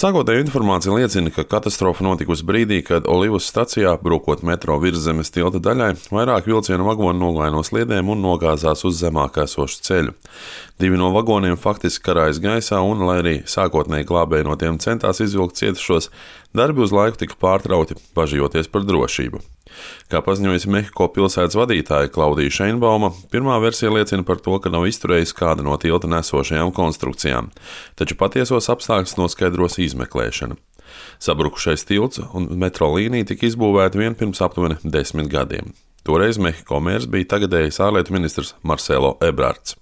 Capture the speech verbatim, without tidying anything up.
Sākotnēja informācija liecina, ka katastrofa notikusi brīdī, kad Olivas stacijā, brūkot metro virszemes tilta daļai, vairāk vilcienu vagoni nogāja no sliedēm un nogāzās uz zemāk esošu ceļu. Divi no vagoniem faktiski karājas gaisā un, lai arī sākotnēji glābēji no tiem centās izvilkt cietušos, darbi uz laiku tika pārtrauti, bažījoties par drošību. Kā paziņojusi Mehiko pilsētas vadītāja Klaudija Šeinbauma, pirmā versija liecina par to, ka nav izturējusi kāda no tilta nesošajām konstrukcijām, taču patiesos apstākļus noskaidros izmeklēšana. Sabrukušais tilts un metro līnija tika izbūvēta vien pirms aptuveni desmit gadiem. Toreiz Mehiko mērs bija tagadējais ārlietu ministrs Marcelo Ebrards.